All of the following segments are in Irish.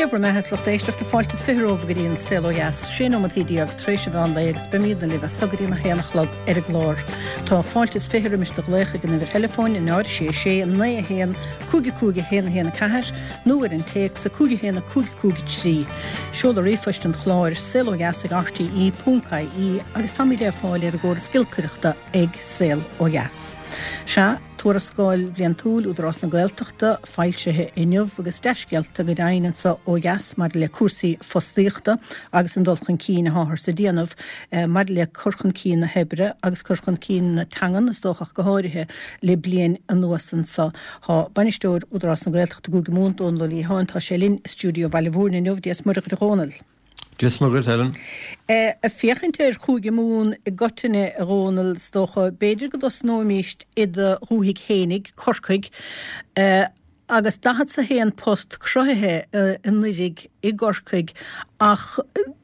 bhur mbeatha is lucht éisteachta, fáilte is 20 romhaibh go dtí an Saol Ó Dheas, 16 nóimeataí tar éis an mheán lae agus beimídne libh as so go dtí an 1 a chlog ar an gclár. Tá fáilte is 20 roimis do ghlaoch ag an uimhir theileafóin 0 6 6 9 1 5 5 1 1 4 nó ar an téacs 5 1 5 5 3. Seoladh ríomhphoist an chláir, saolodheas ag rte ponc ie agus táimid le fáil ar an gcóras giolcaireachta ag Saol Ó Dheas. Sea. Tuarascáil bhliantúil Údarás na Gaeltachta foilsithe inniu agus dea-scéalta go deimhin anso ó dheas maidir le cúrsaí fostaíochta agus an dul chun cinn atáthar ag déanamh maidir le cur chun cinn na hoibre agus cur chun cinn na teangan is dócha ach go háirithe le bliain anuas anso. Tá Bainisteoir Údarás na Gaeltachta i gCúige Mumhan, Dónal Ó Liatháin, tá sé linn i stiúideo Bhaile Mhúirne inniu. Dia is Muire dhuit a Dhónaill. Dia is Muire dhuit, Helen. Ag féachaint ar Chúige Mumhan i gcoitinne, a Dhónaill, is dócha, b'fhéidir go dtosnóimíst i do dhúthaigh fhéinig, Corcaigh, agus daichead 's a haon post cruthaithe anuiridh i gCorcaigh ach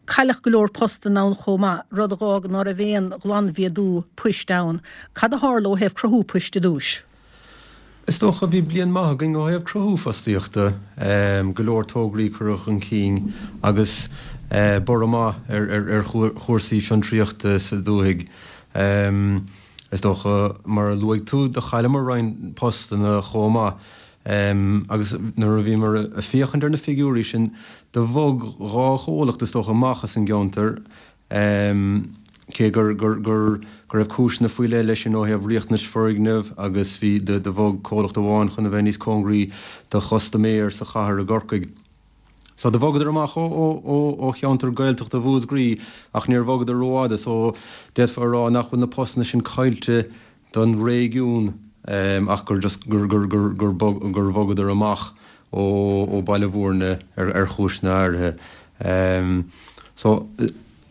cailleadh go leor postanna ann chomh maith, rud a dh'fhág ná raibh aon ghlanmhéadú poist ann. Cad a tharla ó thaobh cruthú poist i dtúis? Is dócha, bhí bliain maith againn ó thaobh cruthú fostaíochta, go leor tograí curtha chun cinn agus borradh maith ar chúrsaí fiontraíochta sa dúthaigh. Is dócha, mar a luaigh tú, do chailleamar roinnt postanna chomh maith agus nuair a bhíomar ag féachaint ar na figiúirí sin, do bhog dhá chomhlacht is dócha amach as an gceantar Cé gur go raibh cúiseanna faoi leith leis sin ó thaobh riachtanais foirgneamh agus bhí do bhog comhlacht amháin chun a bheith níos cóngaraí do chustaiméir sa chathair i gCorcaigh. So do bhogadar amach ó cheantar Gaeltachta Mhúscraí ach níor bhogadar rófhada so d'fhéadfá a rá nach bhfuil na postanna sin caillte don réigiún ach gur just gur gur gur gur gur bhogadar amach ó ó Baile Mhúirne ar ar chúiseanna áirithe. So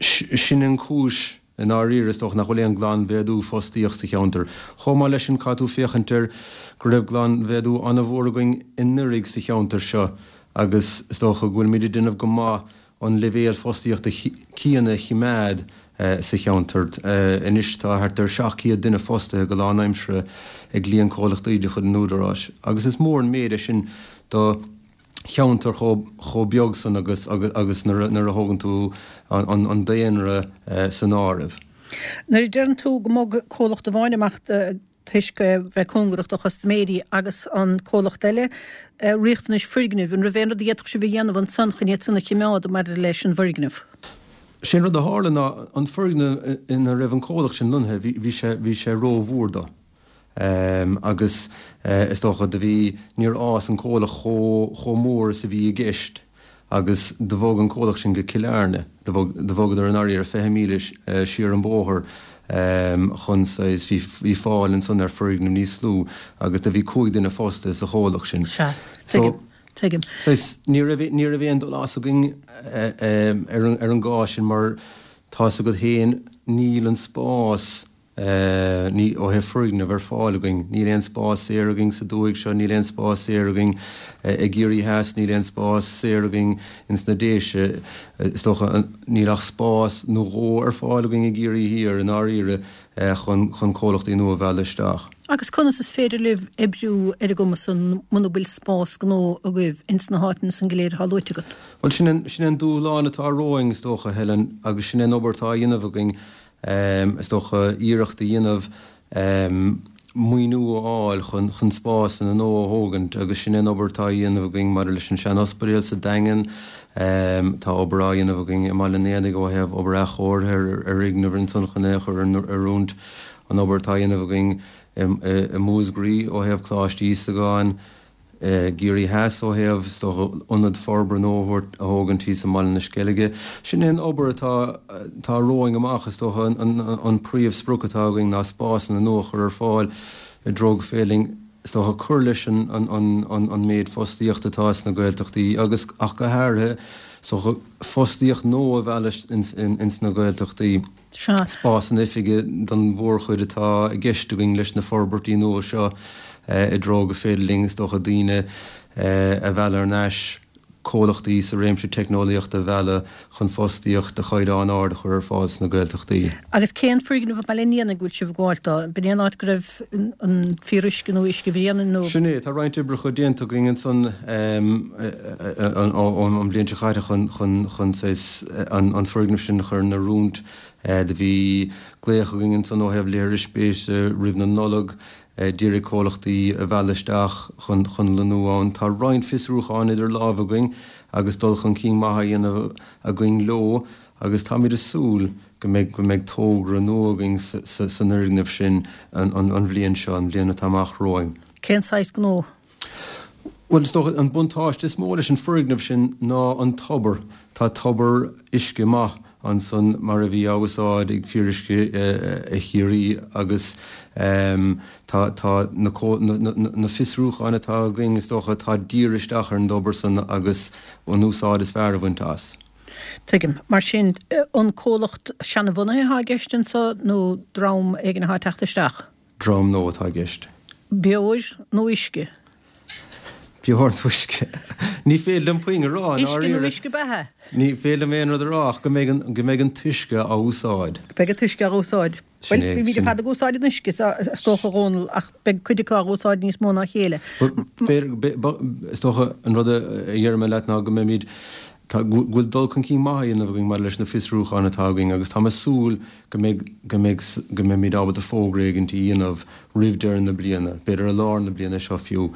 sin an cúis i ndáiríre is dócha nach bhfuil aon glanmhéadú fostaíocht sa cheantar. Chomh maith leis sin caithfidh tú féachaint ar go raibh glanmhéadú an-mhór againn anuraidh sa cheantar seo agus is dócha go bhfuilimid ag déanamh go maith an leibhéal fostaíochta céanna a choimeád sa cheantar. Anois tá thart ar 700 duine fostaithe go lánaimseartha ag líon comhlachtaí de chuid an Údaráis agus is mór an méid é sin do cheantar chomh beag san agus agus nuair a thógann tú an daonra san áireamh. Nuair a deireann tú go mbog comhlacht amháin amach toisc bheith cóngarach do chustaiméirí agus an comhlacht eile, riachtanais foirgnimh, an raibh aon rud a d'fhéadfadh sibh a dhéanamh ansan chun iad san a chimeád maidir leis an bhfoirgneamh? Sé an rud a tharla ná an foirgneamh ina raibh an comhlacht sin lonnaithe, bhí sé, bhí sé ró-mhór dó. Agus is dócha do bhí, níor fhás an comhlacht chomh, chomh mór is a bhí i gceist. agus do bhog an comhlacht sin go Cill Airne. Do bhog, do bhogadar i ndáiríre 20 míle siar an bóthar chun saghas, bhí, bhí fáil ansan ar foirgneamh níos lú agus do bhí 5 duine fostaithe sa chomhlacht sin. Sea, tuigim, tuigim. Saghas, ní raibh, ní raibh aon dul as againn ar an, ar an gcás sin mar tá's agat féin níl an spás, Ní, ó thaobh foirgneamh ar fáil againn. Níl aon spás saor againn sa dúthaigh seo, níl aon spás saor againn i gCiarraí Theas, níl aon spás saor againn ins na Déise. Is dócha, níl ach spás nó dhó ar fáil againn i gCiarraí Thiar i ndáiríre chun, chun comhlachtaí nua a mhealladh isteach. Agus conas is féidir libh oibriú ar an gcuma san muna bhfuil spás gnó agaibh ins na háiteanna san go léir atá luaite agat? Bhuel, sin an, sin an dúshlán atá romhainn is dócha, Helen, agus sin é an obair atá á dhéanamh againn. is dócha, iarracht a dhéanamh maoiniú a fháil chun chun spásanna nua a thógaint agus sin é an obair atá á dhéanamh againn maidir leis an sean-ospidéal sa Daingean. Tá obair á dhéanamh againn i mBaile an Éanaigh ó thaobh obair athchóirithe ar fhoirgneamh ansan chun é a chur in oiriúint, an obair atá á dhéanamh againn i Múscraí ó thaobh Coláiste Íosagáin, i gCiarraí Theas ó thaobh, is dócha, ionad forbartha nua a thabhairt, a thógaint thíos i mBaile na Sceilge. Sin é an obair atá, atá romhainn amach, is dócha, an, an príomhsprioc atá againn ná spásanna nua a chur ar fáil i dtreo go féidir linn, is dócha, cur leis an, an, an, an méid fostaíochta atá sna Gaeltachtaí agus ach go háirithe, is dócha, fostaíocht nua a mhealladh ins, ins na Gaeltachtaí. Sea. Spásanna oifige don mhórchuid atá i gceist againn leis na forbairtí nua seo i dtreo go féidir linn, is dócha, daoine a mhealladh thar n-ais. comhlachtaí sa réimse teicneolaíochta a mhealladh chun fostaíocht de chaighdeán ard a chur ar fáil sna Gaeltachtaí. Agus cén foirgneamh i mBaile an Éanaigh go bhfuil sibh ag gabháil dó? B'in é an áit go raibh an fíoruisce nó Uisce Bhréanainn nó? Sin é, tá roinnt oibreacha déanta againn ansan ón bhliain seo caite chun chun saghas an foirgneamh sin a chur in oiriúint. Do bhí glaoch againn ansan ó thaobh léirspeise roimh na Nollag d'iarraidh comhlachtaí a mhealladh isteach chun chun lonnú ann. Tá roinnt fiosrúchán idir lámha againn agus dul chun cinn maith á dhéanamh againn leo agus táimid ag súil go mbeidh go mbeidh togra nua againn san fhoirgneamh sin an bhliain seo, an bhliain atá amach romhainn. Cén saghas gnó? Bhuel, is dócha, an buntáiste is mó leis an foirgneamh sin ná an tobar. Tá tobar uisce maith ansan mar a bhí á úsáid ag Fíoruisce Chiarraí agus tá tá na na fiosrúcháin atá againn, is dócha, tá dírithe isteach ar an dtobar san agus an úsáid is fearr a bhaint as. Tuigim. Mar sin, an comhlacht seanabhunaithe atá i gceist anso nó dream éigin atá ag teacht isteach? Dream nua atá i gceist. Beoir nó uisce? Beoir nó uisce? Ní féidir liom puinn a rá, i ndáiríre. Uisce nó uisce beatha? Ní féidir liom aon rud a rá ach go mbeidh an, go mbeidh an t-uisce á úsáid. Beidh an t-uisce á úsáid. Bhuel, bímid ar fad ag úsáid an uisce, is dócha, a Dhónaill, ach beidh cuid acu á úsáid níos mó ná a chéile. Is dócha, an rud a déarfaidh mé leat ná go mbeimid, go bhfuil dul chun cinn maith á dhéanamh againn maidir leis na fiosrúcháin atá againn agus táim ag súil go mbeidh, go mbeidh, go mbeimid ábalta fógra éigint a dhéanamh roimh deireadh na bliana, b'fhéidir i lár na bliana seo fiú,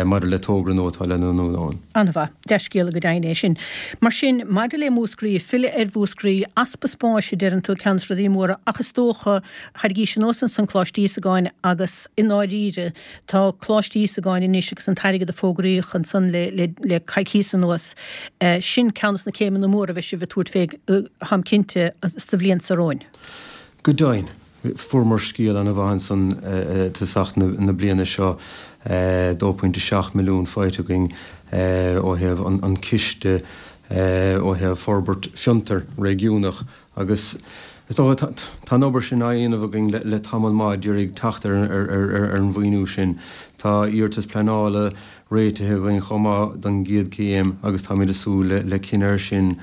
maidir le togra nua atá le lonnú ann. An-mhaith. Dea-scéala go deimhin é sin. Mar sin, maidir le Múscraí, filleadh ar Mhúscraí, easpa spáis a deireann tú, ceann de na rudaí móra, ach is dócha, tharraingís anuas ansan Coláiste Íosagáin agus i ndáiríre, tá Coláiste Íosagáin anois agus an t-airgead a fógraíodh ansan le, le, le coicíos anuas, sin ceann de na céimeanna móra a bheidh sibh ag tabhairt fé, táim cinnte, sa bhliain seo romhainn. Go deimhin. Fuaireamar scéal an-mhaith ansan i dtosach na bliana seo, 2.7 milliún faighte againn ó thaobh an ciste ó thaobh forbairt fiontar réigiúnach agus is dócha tá an obair sin á dhéanamh againn le tamall maith d'iarraidh teacht ar an mhaoiniú sin. Tá iarratas pleanála réitithe againn chomh maith don gcéad chéim agus táimid ag súil le cinneadh air sin,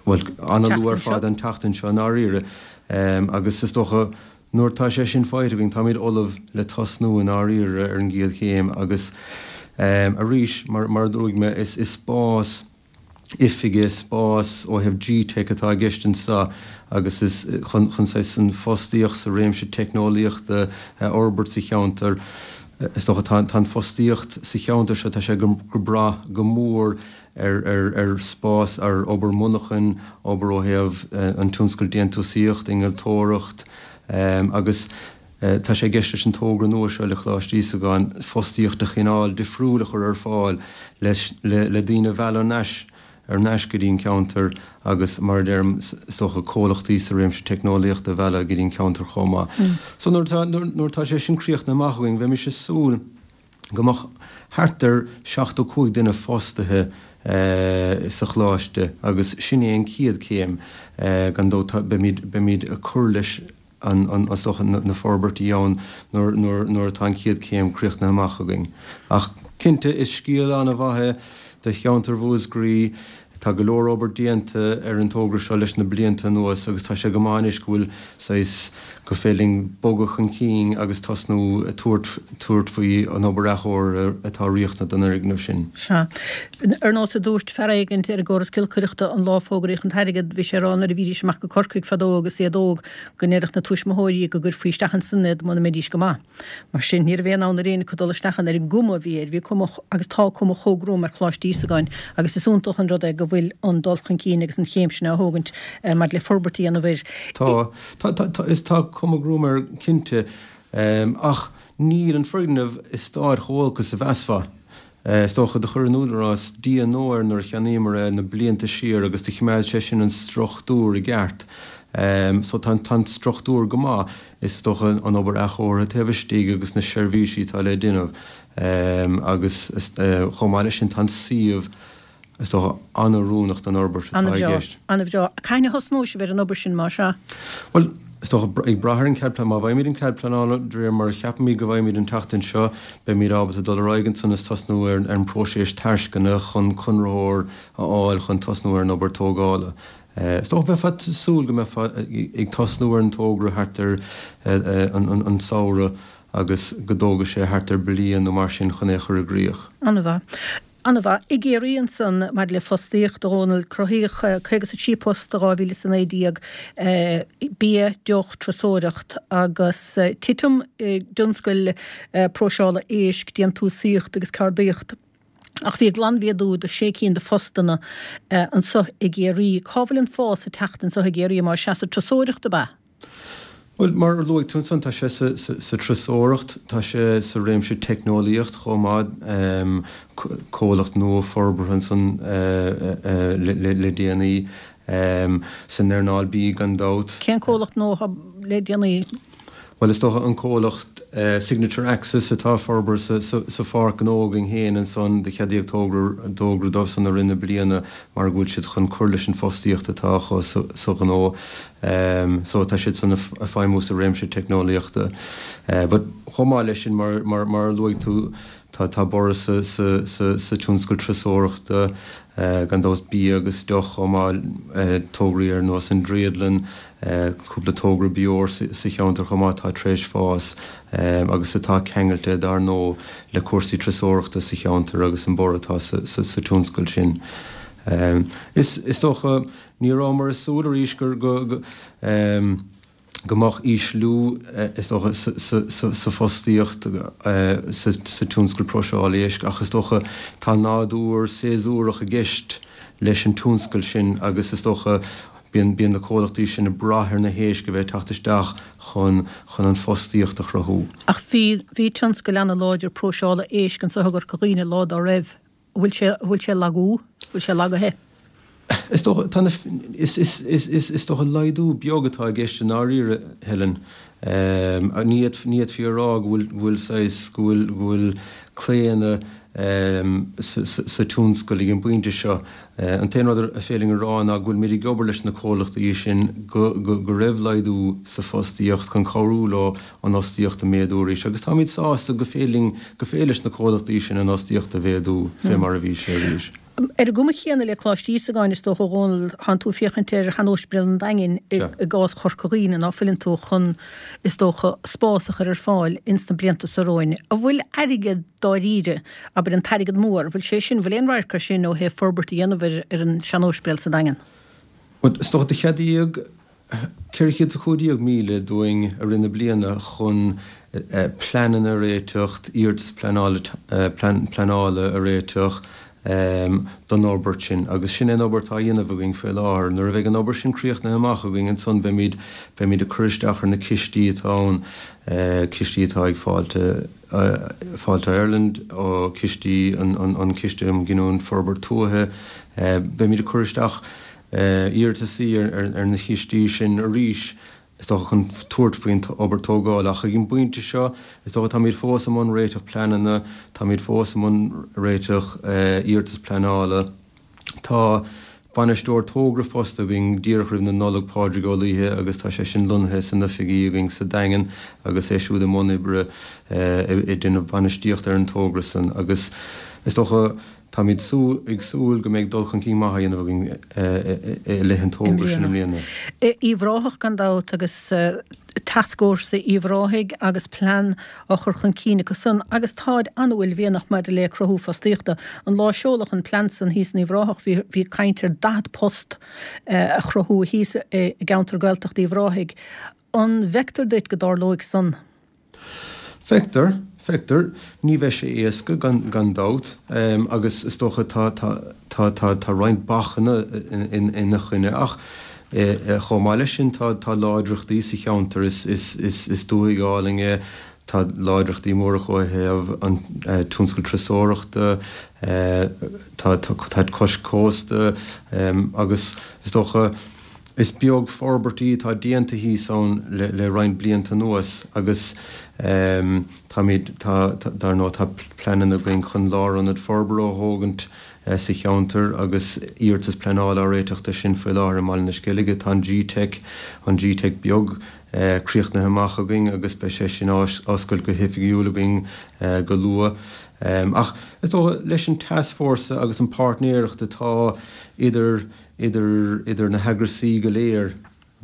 bhuel, an-luath ar fad an tseachtain seo i ndáiríre. Agus is dócha, nuair atá sé sin faighte againn, táimid ullamh le tosnú i ndáiríre ar an gcéad chéim agus arís, mar a luaigh mé, is spás oifige, spás ó thaobh G-Teic atá i gceist anseo agus is chun saghas an fostaíocht sa réimse teicneolaíochta a fhorbairt sa cheantar. Is dócha, tá an fostaíocht sa cheantar seo, tá sé ag brath go mór ar spás, ar obair monarchan, obair ó thaobh an tionscal déantúsaíocht, innealtóireacht agus tá sé i gceist leis an togra nua seo le Coláiste Íosagáin fostaíocht de chineál difriúil a chur ar fáil le daoine a mhealladh ar ais ar ais go dtí an ceantar agus mar a deirim is dócha comhlachtaí sa réimse teicneolaíochta a mhealladh go dtí an ceantar chomh maith. So nuair atá nuair atá sé sin críochnaithe amach againn bheimis ag súil go mbeadh thart ar 75 duine fostaithe sa choláiste agus sin é an chéad chéim. Gan dabht beimid, beimid ag cur leis an, is dócha, na forbairtí ann nuair, nuair, nuair atá an chéad chéim críochnaithe amach againn. Ach cinnte, is scéal an-mhaith é do cheantar Mhúscraí. Tá go leor obair déanta ar an togra seo leis na blianta anuas agus tá sé go maith anois go bhfuil saghas, go féidir linn bogadh chun cinn agus tosnú ag tabhairt, tabhairt faoi an obair athchóirithe atá riachtanach don fhoirgneamh sin. Sea. Ar nós a dúirt fear éigint ar an gcóras giolcaireachta an lá a fógraíodh an t-airgead, bhí sé ag rá nuair a bhídís amach go Corcaigh fadó agus iad óg go ndéarfadh na tuismitheoirí go gcuirfí isteach ansan iad muna mbeidís go maith. Mar sin, ní raibh aon fhonn ar éinne acu dul isteach ann ar an gcuma a bhí air. Bhí cuma, agus tá cuma chomh gruama ar Choláiste Íosagáin agus is iontach an rud é go bhfuil an dul chun cinn agus an chéim sin á thógaint maidir le forbairt a dhéanamh air. Tá, tá, tá, tá, is tá cuma ghruama air cinnte, ach níl an foirgneamh i staid chomh holc is a mheasfá. Is dócha, do chuir an Údarás D&O air nuair a cheannaíomar é na blianta siar agus do choimeád sé sin an struchtúr i gceart. So tá an struchtúr go maith. Is dócha an obair athchóirithe taobh istigh agus na seirbhísí atá le déanamh agus chomh maith leis sin tá an suíomh, is dócha, an-oiriúnach don fhorbairt atá i gceist. An-bhreá, an-bhreá. Cathain a thosnóidh sibh ar an obair sin, más ea? Bhuel, Is dócha, ag brath ar an chead pleanála, má bhfaighimid an cead pleanála de réir mar a cheapaimid go bhfaighimid an tseachtain seo, beimid ábalta dul ar aghaidh ansan is tosnú ar an bpróiseas tairsceana chun conraitheoir a fháil chun tosnú ar an obair tógála. Is dócha, bheifeá ag súil go mbeifeá ag tosnú ar an togra thart ar an samhradh agus go dtógfaidh sé thart ar bliain nó mar sin chun é a chur i gcrích. An-mhaith. An-mhaith. I gCiarraí ansan, maidir le fostaíocht, a Dhónaill, cruthaíodh 53 post i 2019, bia, deoch, turasóireacht, agus titim i dtionscail próiseála éisc, déantúsaíocht agus ceardaíocht. Ach bhí glanmhéadú de sé cinn de phostanna anso i gCiarraí. Cá bhfuil an fás ag teacht anso i gCiarraí? Más ea, sa turasóireacht ab ea? Bhuel, mar a luaigh tú ansan, tá sé sa turasóireacht, tá sé sa réimse teicneolaíocht chomh maith, comhlacht nua forbartha ansan le déanaí, san earnáil bídh gan dabht. Cén comhlacht nua atá le déanaí? Bhuel, is dócha an comhlacht Signature Access atá forbartha sa pháirc ghnó againn féin ansan, do cheadaíodh togra dóibhsan i rith na bliana mar go bhfuil siad chun cur leis an bhfostaíocht atá acu sa ghnó. So tá siad san ag feidhmiú sa réimse teicneolaíochta. But chomh maith leis sin, mar a luaigh tú, tá borradh sa tionscal turasóireachta, gan dabht bia agus deoch chomh maith, tograí ar nós an Driodlann, cúpla togra beoir sa cheantar chomh maith atá tar éis fás agus atá ceangailte dar ndóigh le cúrsaí turasóireachta sa cheantar agus an borradh atá sa tionscal sin. Is dócha, ní rabhamar ag súil arís gur go go mbeadh ísliú, is dócha, sa phostaíocht sa tionscal próiseála éisc ach is dócha tá nádúr séasúrach i gceist leis an tionscal sin agus is dócha bíonn bíonn na comhlachtaí sin ag brath ar na héisc a bheith ag teacht isteach chun chun an phostaíocht a chruthú. Ach bhí bhí tionscal ana-láidir próiseála éisc anso i gCorca Dhuibhne lá dá raibh. An bhfuil sé, an bhfuil sé ag lagú? An bhfuil sé lagaithe? Is dócha, tá na, is, is, is, is, is dócha laghdú beag atá i gceist i ndáiríre, Helen. Ní fhéadfaí, ní fhéadfaí a rá go bhfuil, go bhfuil saghas, go bhfuil, go bhfuil claonadh sa, sa, sa tionscal ag an bpointe seo. An t-aon rud ar féidir linn a rá ná go bhfuilimid ag obair leis na comhlachtaí sin go, go, go raibh laghdú sa phostaíocht chun cabhrú leo an fhostaíocht a mhéadú arís agus táimid sásta go féidir linn, go féidir leis na comhlachtaí sin an fhostaíocht a mhéadú fé mar a bhí sé arís. Ar an gcuma chéanna le Coláiste Íosagáin, is dócha, a Dhónaill, tánn tú ag féachaint ar Shean-Ospidéal an Daingin i gcás Chorca Dhuibhne, ná fuileann tú, chun, is dócha, spás a chur ar fáil ins na blianta so romhainn. An bhfuil airgead dáiríre, abair an t-airgead mór, an bhfuil sé sin, an bhfuil aon radharc air sin ó thaobh forbairt a dhéanamh ar an Sean-Ospidéal sa Daingean? Bhuel, is dócha, do cheadaíodh 415,000 dúinn i rith na bliana chun pleananna a réiteach, iarratas pleanála a réiteach don fhorbairt sin agus sin é an obair atá á dhéanamh againn faoi láthair. Nuair a bheidh an obair sin críochnaithe amach againn ansan beimid beimid ag cur isteach ar na cistí atá ann, cistí atá ag Fáilte Fáilte Ireland, cistí an Ciste um Ghiniúint Forbairt Tuaithe, beimid ag cur isteach iarratasaí ar na cistí sin arís, is dócha, chun tabhairt faoin obair tógála. Ach ag an bpointe seo, is dócha, táimid fós i mbun réiteach pleananna, táimid fós i mbun réiteach iarratas pleanála. Tá bainisteoir togra fostaithe againn díreach roimh na Nollag, Pádraig Ó Laoithe, agus tá sé sin lonnaithe san oifigí againn sa Daingean agus é siúd i mbun oibre ag déanamh bainistíocht ar an togra san. Agus is dócha, Táimid ag súil go mbeidh dul chun cinn maith á dhéanamh againn i leith an togra sin i mbliana. Uíbh Ráthach gan dabht agus Tascfhórsa Uíbh Ráthaigh agus plean á chur chun cinn acu san agus táid an-uaillmhianach maidir le cruthú fostaíochta. An lá a seoladh an plean san thíos in Uíbh Ráthach bhí bhí caint ar 40 post a chruthú thíos i gceantar Gaeltachta Uíbh Ráthaigh. An bhfeictear duit go dtarlóidh san? Feictear, feictear. Ní bheidh sé éasca, gan, gan dabht, agus is dócha tá, tá, tá, tá, tá roinnt bacanna ina choinne ach chomh maith leis sin tá, tá láidreachtaí sa cheantar. Is, is, is, is dúthaigh álainn é, tá láidreachtaí móra acu ó thaobh an tionscal turasóireachta, tá, tá, tá cois cósta agus is dócha, Is beag forbairtí atá déanta thíos ann le roinnt blianta anuas agus táimid, tá, dar ndóigh, tá pleananna againn chun lárionad forbartha a thógaint sa cheantar agus iarratas pleanála á réiteach do sin faoi láthair i mBaile na Sceilge. Tá an G-Teic, an G-Teic beag. críochnaithe amach againn agus beidh sé sin á oscailt go hoifigiúil againn go luath. Ach is dócha, leis an tascfhórsa agus an páirtnéireacht atá idir idir idir na heagrasaí go léir,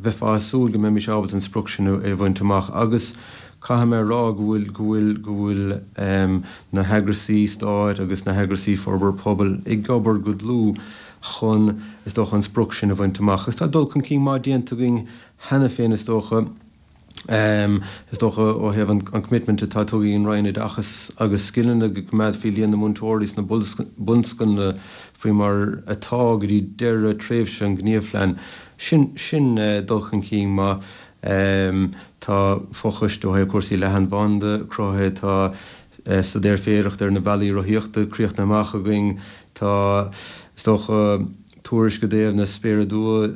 bheifeá ag súil go mbeimis ábalta an sprioc sin a bhaint amach agus caithfidh mé a rá go bhfuil go bhfuil go bhfuil na heagrasaí stáit agus na heagrasaí forbartha pobail ag obair go dlúth chun is dócha an sprioc sin a bhaint amach agus tá dul chun cinn maith déanta againn cheana féin is dócha. Is dócha ó thaobh an commitment atá tugtha ag an Roinn Oideachais agus Scileanna go gcoimeádfaí líon na múinteoirí sna bunscoileanna faoi mar atá go dtí deireadh tréimhse an ghníomhphlean. Sin, sin dul chun cinn maith. Tá fochoiste ó thaobh cúrsaí leathanbhanda cruthaithe, tá staidéar féidearthachta ar na bealaí rothaíochta críochnaithe amach againn, tá, is dócha, tuairisc i dtaobh na Spéire Duibhe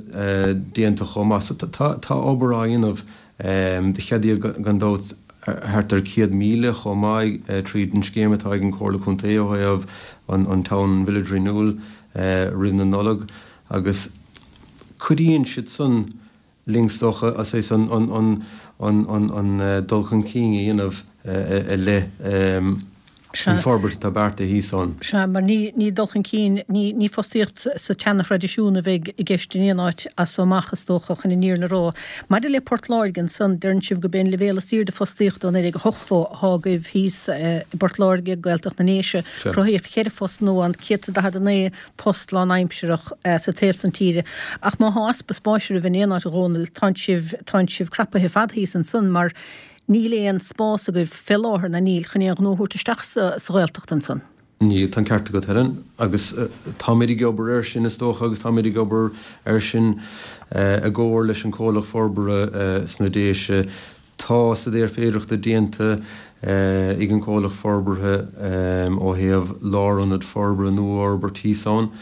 déanta chomh maith. So tá obair á dhéanamh. Do ceadaíodh gan dabht thart ar 100,000 chomh maith tríd an scéim atá ag an Chomhairle Contae ó thaobh an Town and Village Renewal roimh na Nollag agus cuidíonn siad san linn is dócha saghas an dul chun cinn a dhéanamh i leith an forbairt atá beartaithe thíos ann. Sea, mar ní dul chun cinn, ní fostaíocht sa tseana-thraidisiún a bheidh i gceist in aon áit as so amach is dócha, chun an fhírinne a rá. Maidir le Port Láirge ansan, deireann sibh gurb é an leibhéal is airde fostaíochta ó 1980 atá agaibh thíos i bPort Láirge, Gaeltacht na nDéise. Cruthaíodh 4 phost nua ann, 149 post lánaimsearach sa taobh san tíre. Ach má thá easpa spáis oraibh in aon áit a Dhónaill, tánn sibh, tánn sibh crapaithe ar fad thíos ansan mar níl aon spás agaibh fé láthair ná níl chun aon ghnó a thabhairt isteach sa Ghaeltacht ansan. Níl, tá an ceart agat Helen. Agus táimid ag obair air sin is dócha agus táimid ag obair air sin i gcomhar leis an comhlacht forbartha sna Déise. Tá staidéar féidearthachta déanta ag an comhlacht forbartha ó thaobh lárionad forbartha nua a fhorbairt thíos ann.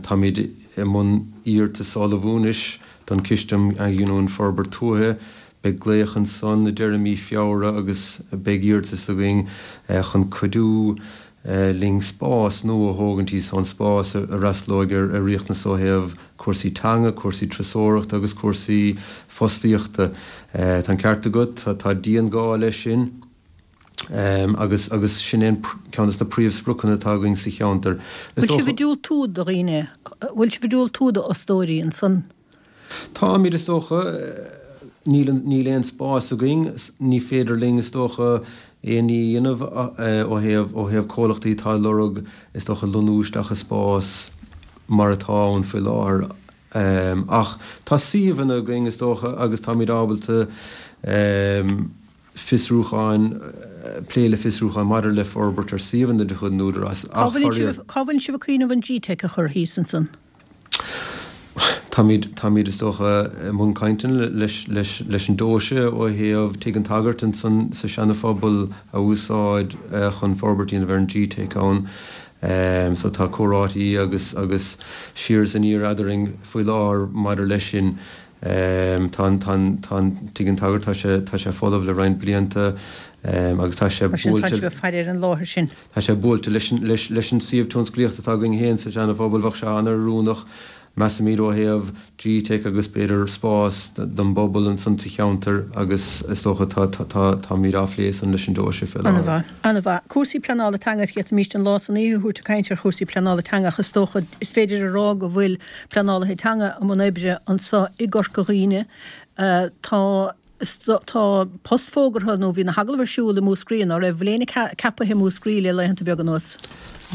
Táimid i mbun iarratas a ullmhú anois don Chiste um Athghiniúint Forbairt Tuaithe. Beidh glaoch ansan i deireadh mí Feabhra agus beidh iarratas againn chun cuidiú linn spás nua a thógaint thíos ann, spás a fhreastalóidh ar riachtanas ó thaobh cúrsaí teanga, cúrsaí turasóireachta agus cúrsaí fostaíochta. Tá an ceart agat, tá dian-ghá leis sin agus agus sin é ceann de na príomhspriocanna atá againn sa cheantar. Is Bhfuil sibh ag diúltú do dhaoine, bhfuil sibh ag diúltú d'fhostóirí ansan? Táimid, is dócha. Níl, níl aon spás againn. Ní féidir linn, is dócha, aon ní a dhéanamh ó thaobh, ó thaobh comhlachtaí atá ag lorg, is dócha, lonnú isteach i spás mar atá ann faoi láthair. Ach tá suíomhanna againn, is dócha, agus táimid ábalta fiosrúcháin, plé le fiosrúcháin maidir le forbairt ar suíomhanna de chuid an Údaráis. Cá bhfuil sibh, cá bhfuil sibh ag cuimhneamh an GTeic a chur thíos ansan? Táimid, táimid is dócha i mbun cainteanna leis, leis, leis an deoise ó thaobh Tigh an tSagairt ansan sa Seana Phobal a úsáid chun forbairt a dhéanamh ar an GTeic ann. So tá comhráití agus, agus siar is aniar eadrainn faoi láthair maidir leis sin. Tá an, tá an, tá an Tigh an tSagairt, tá sé, tá sé folamh le roinnt blianta agus tá sé Mar sin tá buailte, sibh ag faire ar an láthair sin. Tá sé buailte leis an, leis, leis an suíomh tionsclaíochta atá againn féin sa Seana-Phobal, bheadh sé an-oiriúnach, measaimid, ó thaobh GTeic agus b'fhéidir spás don bpobal ansan sa cheantar agus is dócha tá, tá, tá, táimid á phlé san leis an deoise fé láthair. An-mhaith, an-mhaith. Cúrsaí pleanála teanga, d'fhéadfaimíst an lá is an oíche a thabhairt ag caint ar chúrsaí pleanála teanga ach is dócha, is féidir a rá go bhfuil pleanálaithe teanga i mbun oibre anso i gCorca Dhuibhne. Tá. Tá post fógartha, nó bhí na hagallaimh ar siúl i Múscraí, ná raibh? Bhfuil éinne ceaptha i Múscraí le laethanta beaga anuas?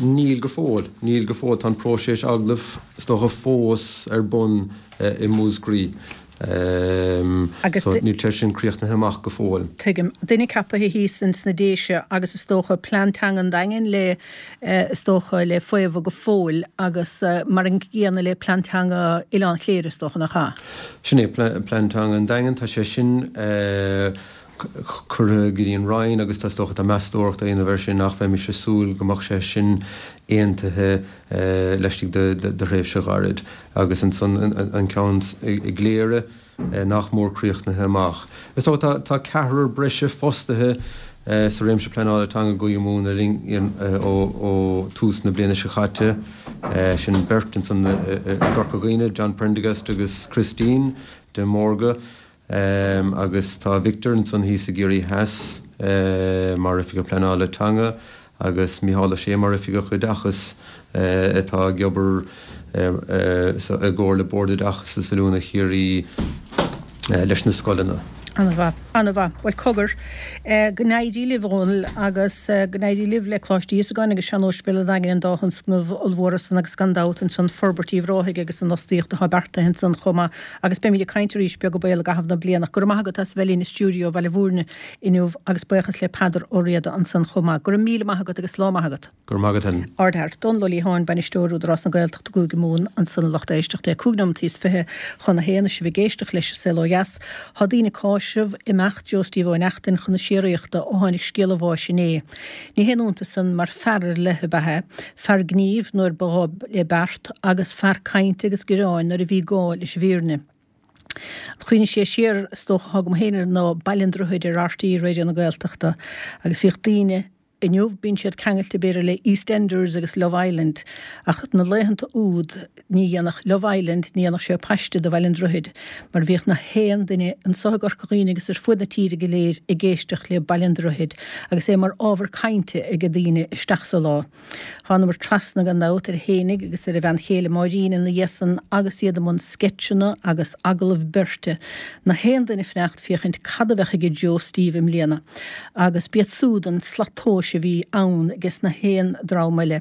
Níl go fóill. Níl go fóill. Tá an próiseas agallaimh, is dócha, fós ar bun i Múscraí. Agus So níl sé sin críochnaithe amach go fóill. Tuigim. Duine ceaptha thíos ins na Déise agus is dócha plean teanga an Daingin le, is dócha, le faomhadh go fóill agus mar an gcéanna le plean teanga Oileán Chléire is dócha, nach ea? Sin é Plean Teanga an Daingin. Tá sé sin curtha go dtí an Roinn agus tá, is dócha, tá meastóireacht á dhéanamh air sin ach bheimis ag súil go mbeadh sé sin aontaithe laistigh de thréimhse ghairid. Agus ansan an ceann i gCléire nach mór críochnaithe amach. Is dócha tá ceathrar breise fostaithe sa réimse pleanála teanga i gCúige Mumhan le linn ó tús na bliana seo caite. Sin beirt ansan i gCorca Dhuibhne, John Prendergast agus Christine de Mórdha. Agus tá Victor ansan thíos i gCiarraí Theas mar Oifigeach Pleanála Teanga agus Micheál Ó Sé mar Oifigeach Oideachais atá ag obair i gcomhar le Bord Oideachais is Oiliúna Chiarraí leis na scoileanna. An-mhaith. An-mhaith. Bhuel, cogar, go n-éirí libh, a Dhónaill, agus go n-éirí libh le Coláiste Íosagáin agus Sean-Óispidéal an Daingin, an dá thionscnamh ollmhóra san agus gan dabht ansan forbairt Uíbh Ráthaigh agus an fhostaíocht atá beartaithe ansan chomh maith. Agus beimid ag caint arís beag an baol i gcaitheamh na bliana. Go raibh maith agat as a bheith linn i stiúideo Bhaile Bhúirne inniu agus buíochas le Peadar Ó Riada ansan chomh maith. Go raibh míle maith agat agus lá maith agat. Go raibh maith agat Helen. Ardfhear. Dónal Ó Liatháin, Bainisteoir Údarás na Gaeltachta Cúige Mumhan ansan a lucht éisteachta. 5 nóimeataí is 20 chun a haon is sibh ag éisteacht leis an Saol Ó Dheas. Tá daoine ag cáiseamh imeacht Joe Steve Ó Neachtain chun na síoraíochta ó tháinig scéal a bháis inné. Ní haon iontas san mar fear ar leith ab ea é, fear gnímh nuair ba ghá le beart agus fear cainte agus gearáin nuair a bhí gá leis an bhfírinne. An chuimhne is sia siar is dócha atá agam féin air ná Baile an Droichid ar RTÉ Raidió na Gaeltachta agus bhíodh daoine, inniu bíonn siad ceangailte b'fhéidir le EastEnders agus Love Island ach na laethanta úd ní dhéanfadh Love Island, ní dhéanfadh sé paiste de Bhaile an Droichid mar bhíodh na haon duine anso i gCorca Dhuibhne agus ar fuaid na tíre go léir ag éisteacht le Baile an Droichid agus é mar ábhar cainte age daoine isteach sa lá. Thánamar trasna gan dabht air fhéinig agus ar a bhean chéile Máirín ina dhiaidh san agus iad i mbun sceitseanna agus agallamh beirte, na haon duine fanacht féachaint cad a bheadh aige Joe Steve i mbliana agus b'iad súd an slat tomhais a bhí ann ages na haon dream eile.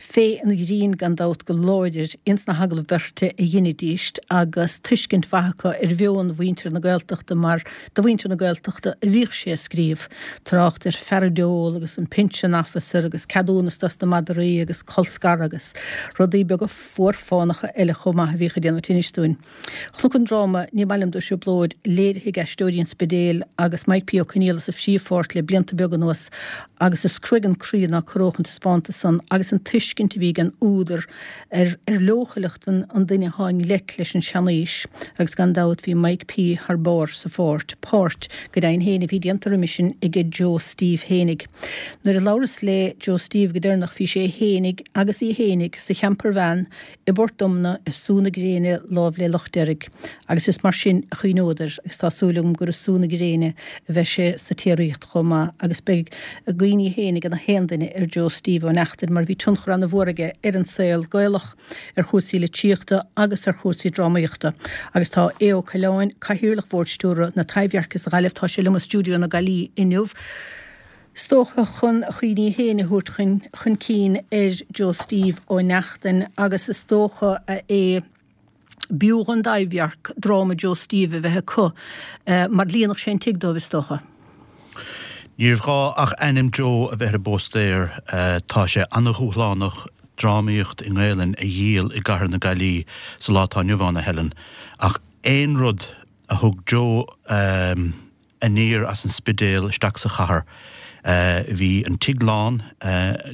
Féith an ghrinn gan dabht go láidir ins na hagallaimh beirte a dheinidíst agus tuiscint mhaith acu ar mheon mhuintir na Gaeltachta mar do mhuintir na Gaeltachta a bhíodh sé ag scríobh. Trácht ar pheiridól agus an Pension Officer agus ceadúnas dos na madraí agus colscaradh agus rudaí beaga fuar-fánacha eile chomh maith a bhíodh ag déanamh tinnis dúinn. Chonac an dráma Ní Maith Liom Do Thrioblóid léirithe ag Aisteoirí an Spidéil agus Mike P. Ó Conaola sa phríomhpháirt le blianta beaga anuas agus is cruaidh an croí ná corródh an taispeántas san agus an tuiscint a bhí ag an údar ar ar leochaileacht an an duine atá i ngleic leis an seanaois agus gan dabht bhí Mike P. thar barr sa pháirt, páirt, go deimhin féin, a bhí déanta roimis sin aige Joe Steve fhéinig. Nuair a labhras le Joe Steve go deireanach bhí sé fhéinig agus í fhéinig sa champervan i bPort Omna i sú na gréine láimh le Loch Deirg agus is mar sin a chuimhneod air agus tá súil agam gur i sú na gréine a bheidh sé sa tsíoraíocht chomh maith agus beidh a gcuimhní féin ag na haon duine ar Joe Steve Ó Neachtain mar bhí tionchar ana-mhór aige ar an saol Gaelach, ar chúrsaí litríochta agus ar chúrsaí drámaíochta. Agus tá Aodh Ó Coileáin, Cathaoirleach Bhord Stiúrtha na Taibhdheirce sa Ghaillimh, tá sé liom i stiúideo na Gaillimhe inniu. Is dócha chun a chuimhní féin a thabhairt chun chun cinn ar Joe Steve Ó Neachtain agus is dócha a Aodh, b'fhiú dhon dTaibhdhearc dráma Joe Steve a bheith acu mar líonfadh sé an tigh dóibh is dócha. Níorbh ghá ach ainm Joe a bheith ar an bpóstaer. Tá sé ana-dhúshlánach drámaíocht i nGaelainn a dhíol i gcathair na Gaillimhe sa lá atá inniu ann, a Helen, ach aon rud a thug Joe aniar as an Spidéal isteach sa chathair. Bhí an tigh lán,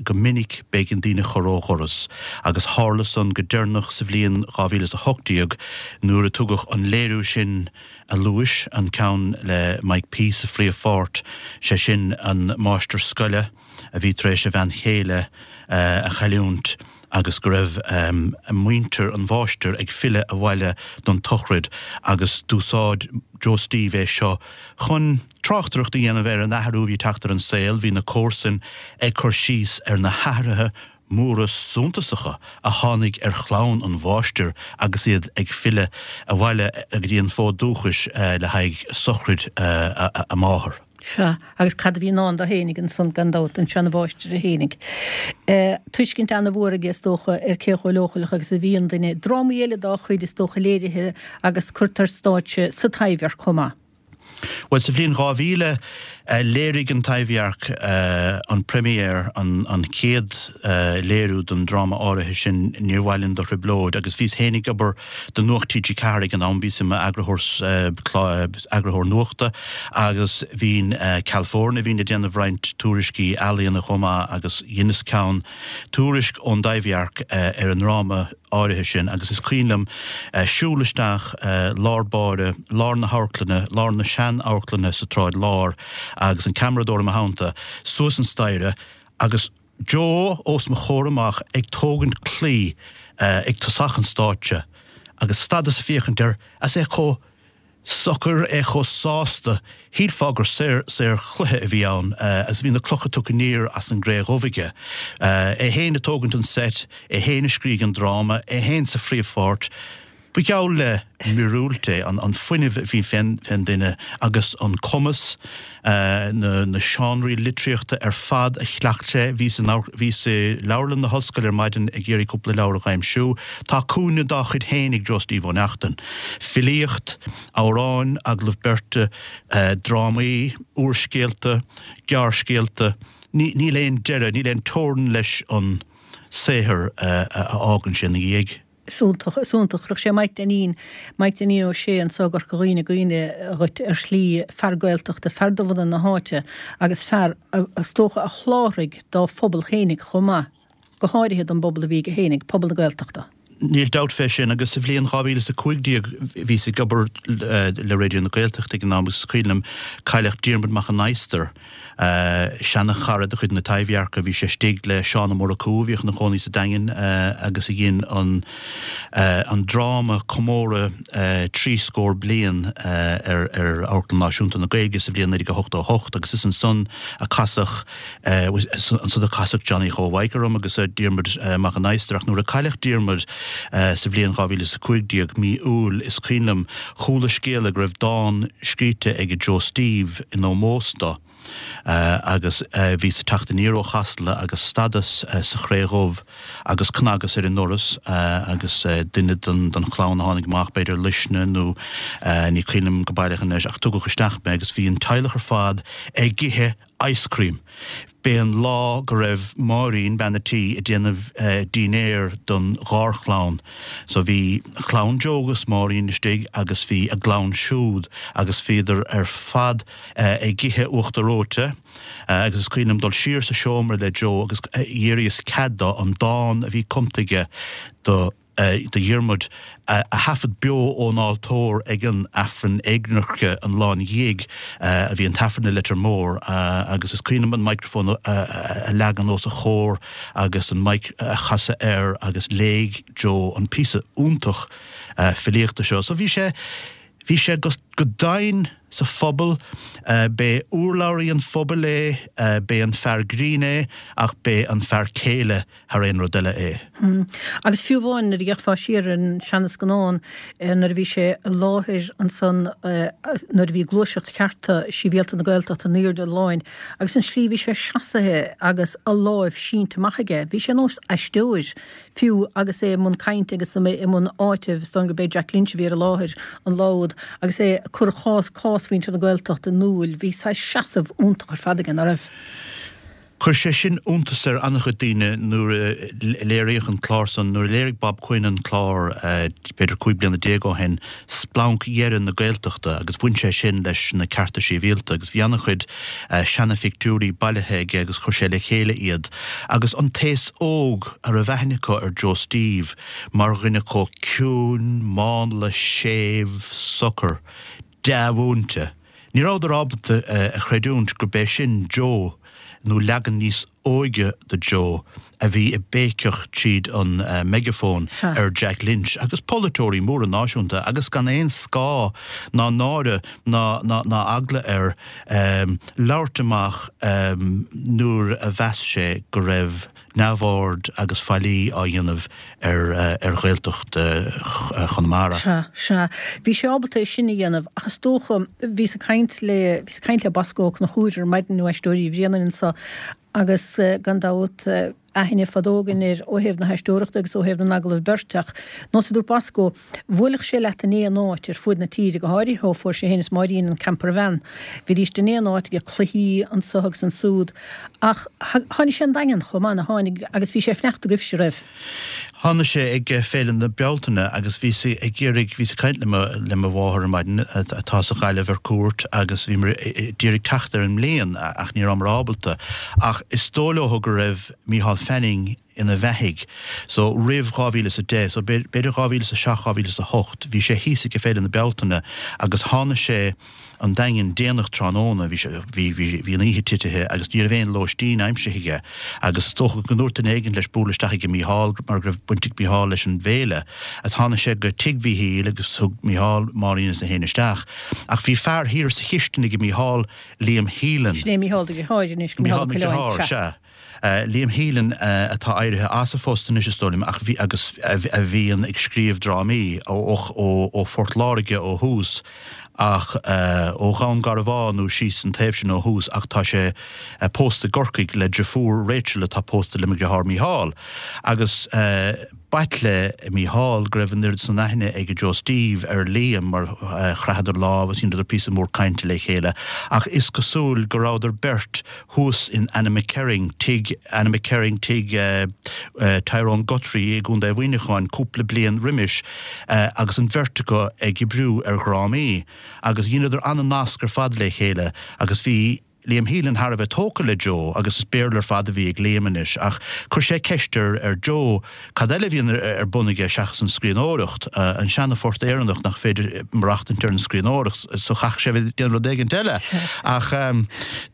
go minic b'éigean daoine a chur ó dhoras, agus tharla san go deireanach sa bhliain 2018 nuair a tugadh an léiriú sin a luais, an ceann le Mike P. sa phríomhpháirt, sé sin an máistir scoile a bhí tar éis a bhean chéile a chailliúint. agus go raibh muintir an mháistir ag filleadh abhaile don tsochraid agus d'úsáid Joe Steve é seo chun tráchtaireacht a dhéanamh ar an athrú a bhí ag teacht ar an saol. Bhí na comharsain ag cur síos ar na hathruithe móra suntasacha a tháinig ar chlann an mháistir agus iad ag filleadh abhaile go dtí an fód dúchais le haghaidh sochraid a máthar. Sea, agus cad a bhí i ndán dó fhéinig ansan, gan dabht, don seana-mháistir é fhéinig. Tuiscint ana-mhór aige, is dócha, ar cé chomh leochaileach agus a bhíonn duine. Drámaí eile dá chuid, is dócha, léirithe agus curtha ar stáitse sa Taibhdhearc chomh maith. Bhuel, sa bhliain 2000, léirigh an Taibhdhearc an première, an chéad léiriú den dráma áirithe sin, Níor Mhaith Linn Do Thrioblóid, agus bhíos féin ag obair do Nuacht TG4 ag an am, bhíos i m'eagarthóir eagarthóir nuachta agus bhínn ceal foirne, bhínn ag déanamh roinnt tuairiscí ealaíona chomh maith agus dheineas ceann, tuairisc ón dTaibhdhearc ar an ndráma áirithe sin agus is cuimhin liom siúl isteach lár báire, lár na hamharclainne, lár na sean-amharclainne sa tSráid Láir agus an ceamaradóir i mo theannta, suas an staighre agus. Joe os mo chomhair amach ag tógaint claí ag tosach an stáitse agus stadas ag féachaint air as é chomh. socair, é chomh sásta, shílfeá gur saorchluiche a bhí ann agus bhí na clocha tugtha aniar as an gcré dhubh aige. É féin ag tógaint an seit, é féin a scrígh an dráma, é féin sa phríomhpháirt. Ba gheall le míorúilt é an fuinneamh a bhí fén duine agus an cumas, na seánraí litríochta ar fad a chleacht sé. Bhíos bhíos i leabharlann na hollscoile ar maidin ag iarraidh cúpla leabhar a dh'aimsiú. Tá cúinne dá chuid féin ag Joe Steve Ó Neachtain. Filíocht, amhráin, agallaimh beirte, drámaí, úrscéalta, gearrscéalta, níl aon deireadh, níl aon teorainn leis an saothar a fhágann sé ina dhiaidh. Is iontach, is iontach. Chuirfeadh sé Mike Dainín, Mike Dainín Ó Sé anso i gCorca Dhuibhne i gcuimhne dhuit ar shlí, fear Gaeltachta, fear de bhunadh na háite agus fear, is dócha, a sholáthraigh dá phobal fhéinig chomh maith, go háirithe don bpobal a bhí aige fhéinig, pobal na Gaeltachta. Níl dabht fé sin agus sa bhliain 2015 bhíos ag obair le Raidió na Gaeltachta ag an am agus is cuimhin liom cailleadh Diarmuid Mac an Adhastair, Seana-chara de chuid na Taibhdheirce, bhí sé istigh le Seán Ó Murchú, a bhíodh ina chónaí sa Daingean agus a dhein an an dráma comóradh 30 scór bliain ar ar Amharclann Náisiúnta na Gaeilge sa bhliain 1988 agus is ansan a casadh ansan a casadh Johnny Joe Mhaidhc orm agus Diarmuid Mac an Adhastair ach nuair a cailleadh Diarmuid sa bhliain 2015, mí Iúil, is cuimhin liom Chuala scéala go raibh dán scríte ag Joe Steve in ómós do agus bhíos ag teacht aniar ó Chasla agus stadas sa Chré Dhubh agus cnagas ar an ndoras agus duine den chlann a tháinig amach, b'fhéidir Luisne nó ní cuimhin liom go baileach anois ach tugadh isteach mé agus bhí an teaghlach ar fad ag ithe ice cream. B'é an lá go raibh Máirín, bean a' tí, ag déanamh dínnéir don gharchlann. So bhí clann Joe agus Máirín istigh agus bhí a gclann siúd agus bhíodar ar fad ag ithe uachtar reoite agus is cuimhin liom dul siar sa seomra le Joe agus d'iarraíos cead dó an dán a bhí cumta aige do do Dhiarmuid a thaifead beo ón altóir ag an Aifreann éagnairce an lá ina dhiaidh a bhí an tAifreann i Leitir Móir agus is cuimhin liom an microphone a leagan os a chomhair agus an mic a chasadh air agus léigh Joe an píosa iontach filíochta seo. So bhí sé, bhí sé go domhain sa phobal, b'é urlabhraí an phobail é, b'é an fear grinn é ach b'é an fear céile thar aon rud eile é. Agus fiú amháin nuair a d'fhéachfá siar ar an seanascannán nuair a bhí sé i láthair ansan nuair a bhí gluaiseacht chearta sibhialta na Gaeltachta in airde an láin agus an slí a bhí sé seasaithe agus a láimh sínte amach aige, bhí sé nós aisteoir fiú agus é i mbun cainte agus i mbun áitimh, is dóigh gurb é Jack Lynch a bhí ar an láthair an lá úd agus é ag cur chás cás mhuintir na Gaeltachta in iúl, bhí saghas seasamh iontach ar fad aige, ná raibh? Chuir sé sin iontas ar an-chuid daoine nuair a léiríodh an clár san, nuair a léirigh Bob Quinn an clár b'fhéidir 15 bliana ó shin, splanc dheireadh na Gaeltachta agus bhain sé sin leis na cearta sibhialta agus bhí an-chuid seana-phictiúirí bailithe aige agus chuir sé le chéile iad agus an t-aos óg a raibh aithne acu ar Joe Steve mar dhuine chomh ciúin, mánla, séimh, socair, dea-mhúinte. Ní rabhadar ábalta a chreidiúint gurb é sin Joe, nó leagan níos óige de Joe, a bhí ag béiceach tríd an meigeafón ar Jack Lynch agus polaiteoirí móra náisiúnta agus gan aon scáth ná náire ná ná eagla air labhairt amach nuair a mheas sé go raibh neamhaird agus faillí á dhéanamh ar Ghaeltacht Chonamara. Sea, sea. Bhí sé ábalta é sin a dhéanamh ach is dócha, bhíos ag caint le, bhíos ag caint le Bosco Ó Conchúir ar maidin ó Aisteoirí Uí Bhraonáin anso agus gan dabht aithne fadó againn air ó thaobh na haisteoireachta agus ó thaobh na n-agallamh beirte ach nós a dúirt Bosco, Bhuailfeadh sé leat in aon áit ar fuaid na tíre, go háirithe ó fuair sé féin is Máirín an campervan. Bhídíst in aon áit ag cluichí anso agus ansúd. Ach tháinig sé 'on Daingean chomh maith, nó tháinig, agus bhí sé ag fanacht agaibhse, raibh? Tháinig sé ag Féile na Bealtaine agus bhíos ag iarraidh, bhíos ag caint le mo, le mo mháthair ar maidin atá sa Ghaillimh ar cuairt agus bhíomar ag iarraidh teacht ar an mbliain ach ní rabhamar ábalta. Ach is dóigh leo go raibh Micheál Fanning ina bheathaidh. So roimh 2010, so b'fhéidir 2007, 2008, bhí sé thíos ag Féile na Bealtaine agus tháinig sé. an Daingean déanach tráthnóna, bhí sé, bhí, bhí, bhí an oíche titithe agus ní raibh aon lóistín aimsithe aige agus is dócha go ndúirt duine éigin leis bualadh isteach ag Mícheál mar go raibh baint ag Mícheál leis an bhféile agus tháinig sé go tigh Mhíchíl agus thug Mícheál Máirín is é féin isteach ach bhí fear thiar sa chistin ag Mícheál, Liam Whelan. Sin é Mícheál do dheartháir anois, Mícheál Ó Coileáin, sea. Liam Whelan atá éirithe as a phost anois is dóigh liom ach bhí agus a bhíonn ag scríobh drámaí ó Phort Láirge ó thús ach ó Dhún Garbhán nó síos an taobh sin ó thús ach tá sé pósta i gCorcaigh le deirfiúr Rachel atá pósta le mo dheartháir Mícheál agus B'ait le Mícheál go raibh an oiread san aithne ag Joe Steve ar Liam mar chraitheadar lámh agus dheineadar píosa mór cainte le chéile ach is cosúil go rabhadar beirt thuas in Annaghmakerrig, tigh Annaghmakerrig, tigh Tyrone Guthrie i gContae Mhuineacháin cúpla bliain roimis agus an bheirt acu ag oibriú ar dhrámaí agus dheineadar an-nasc ar fad le chéile agus bhí Liam Whelan thar a bheith tógtha le Joe agus is Béarla ar fad a bhí ag Liam anois ach chuir sé ceist ar ar Joe cad eile a bhíonn ar bun aige seachas an scríbhneoireacht, an seana-phort Éireannach nach féidir maireachtaint ar an scríbhneoireacht so chaithfeadh sé a bheith ag déanamh rud éigint eile. Ach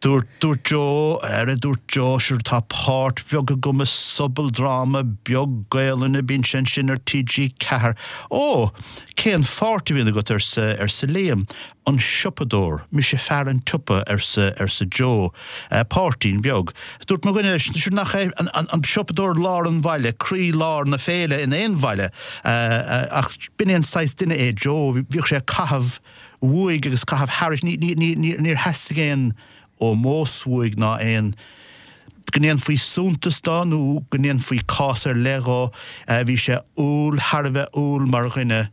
dúirt dúirt Joe, ar a dúirt Joe, sure tá páirt bheag agam i sobaldráma beag Gaelainne, bíonn sé ansin ar TG4. Ó, cén pháirt a bhíonn agat arsa arsa Liam. An siopadóir. Mise fear an tsiopa, arsa, arsa Joe. Páirtín beag. Dúirt mo dhuine leis, sure nach é an, an, an siopadóir lár an bhaile, croí lár na féile in aon bhaile. Ach b'in é an saghas duine é Joe, bhíodh sé ag caitheamh uaidh agus caitheamh thairis, ní, ní, ní, ní, níor theastaigh aon ómós uaidh ná aon, go ndéanfaí suntas dó nó go ndéanfaí cás ar leith dhó. Bhí sé umhal, thar a bheith umhal mar dhuine.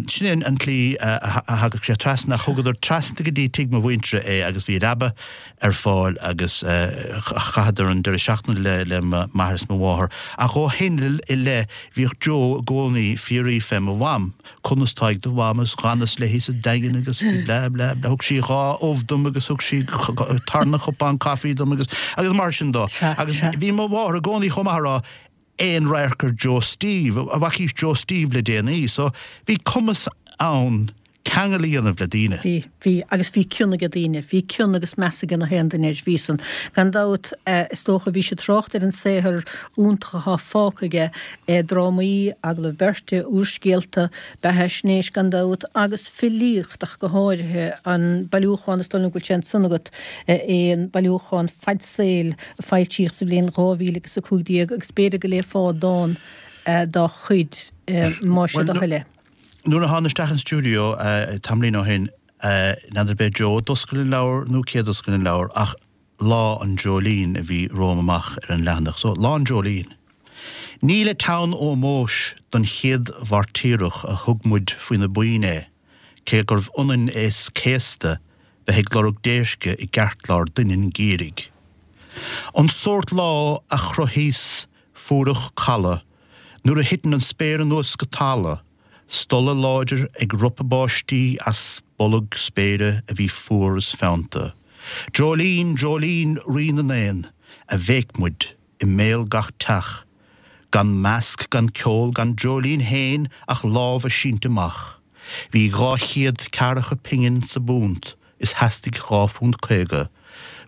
Sin é an tslí a thagadh sé trasna, ach thugadar trasna go dtí tigh mo mhuintire é agus bhí leaba ar fáil agus chaitheadar an deireadh seachtaine le m'athair is mo mháthair. Ach ó shin i leith bhíodh Joe i gcónaí ag fiafraí fé mo mham. Conas tá ag do mham is dh'fhanas léi sa Daingean agus blah blah blah thug sí dha ubh dom agus thug sí tarna cupán caife dom agus agus mar sin dó. Agus bhí mo mháthair i gcónaí chomh maith a rá aon radharc ar Joe Steve, an bhfacaís Joe Steve le déanaí. So bhí cumas ann ceangal a dhéanamh le daoine. Bhí, bhí, agus bhí cion aige daoine, bhí cion agus meas aige na haon duine air, bhí san. Gan dabht, is dócha, bhís ag trácht ar an saothar iontach athá fágtha aige, drámaí, agallaimh beirte, úrscéalta, beathaisnéis gan dabht, agus filíocht ach go háirithe, an bailiúchán, is dóigh liom go bhfuil sé ansan agat, é an bailiúchán Fad Saoil a foilsíodh sa bhliain 2015 agus b'fhéidir go léifeá dán dá chuid más é do thoil é. Nuair a thána isteach an stiúideo tamaillín ó shin, n'fheadar ab é Joe a d'oscail an leabhar nó cé a d'oscail an leabhar ach Lá an Dreoilín a bhí romham amach ar an leathanach. So, Lá an Dreoilín. Ní le teann ómóis don chéad mhairtíreach a thug muid faoi na boinn é, cé gurbh ionann is céasta bheith ag lorg déirce i gceartlár doineann geimhridh. An sórt lá a chruthaíos fuireach caladh nuair a thiteann an spéir anuas go talamh, Stolladh láidir ag ropadh báistí as bolg spéire a bhí fuar is feannta. Dreoilín, dreoilín, rí na n-éan, a bhéic muid i mbéal gach teach. Gan masc, gan ceol, gan dreoilín fhéin ach lámha sínte amach. Bhí 200 ceathracha pingin sa bpunt is theastaigh £2.50.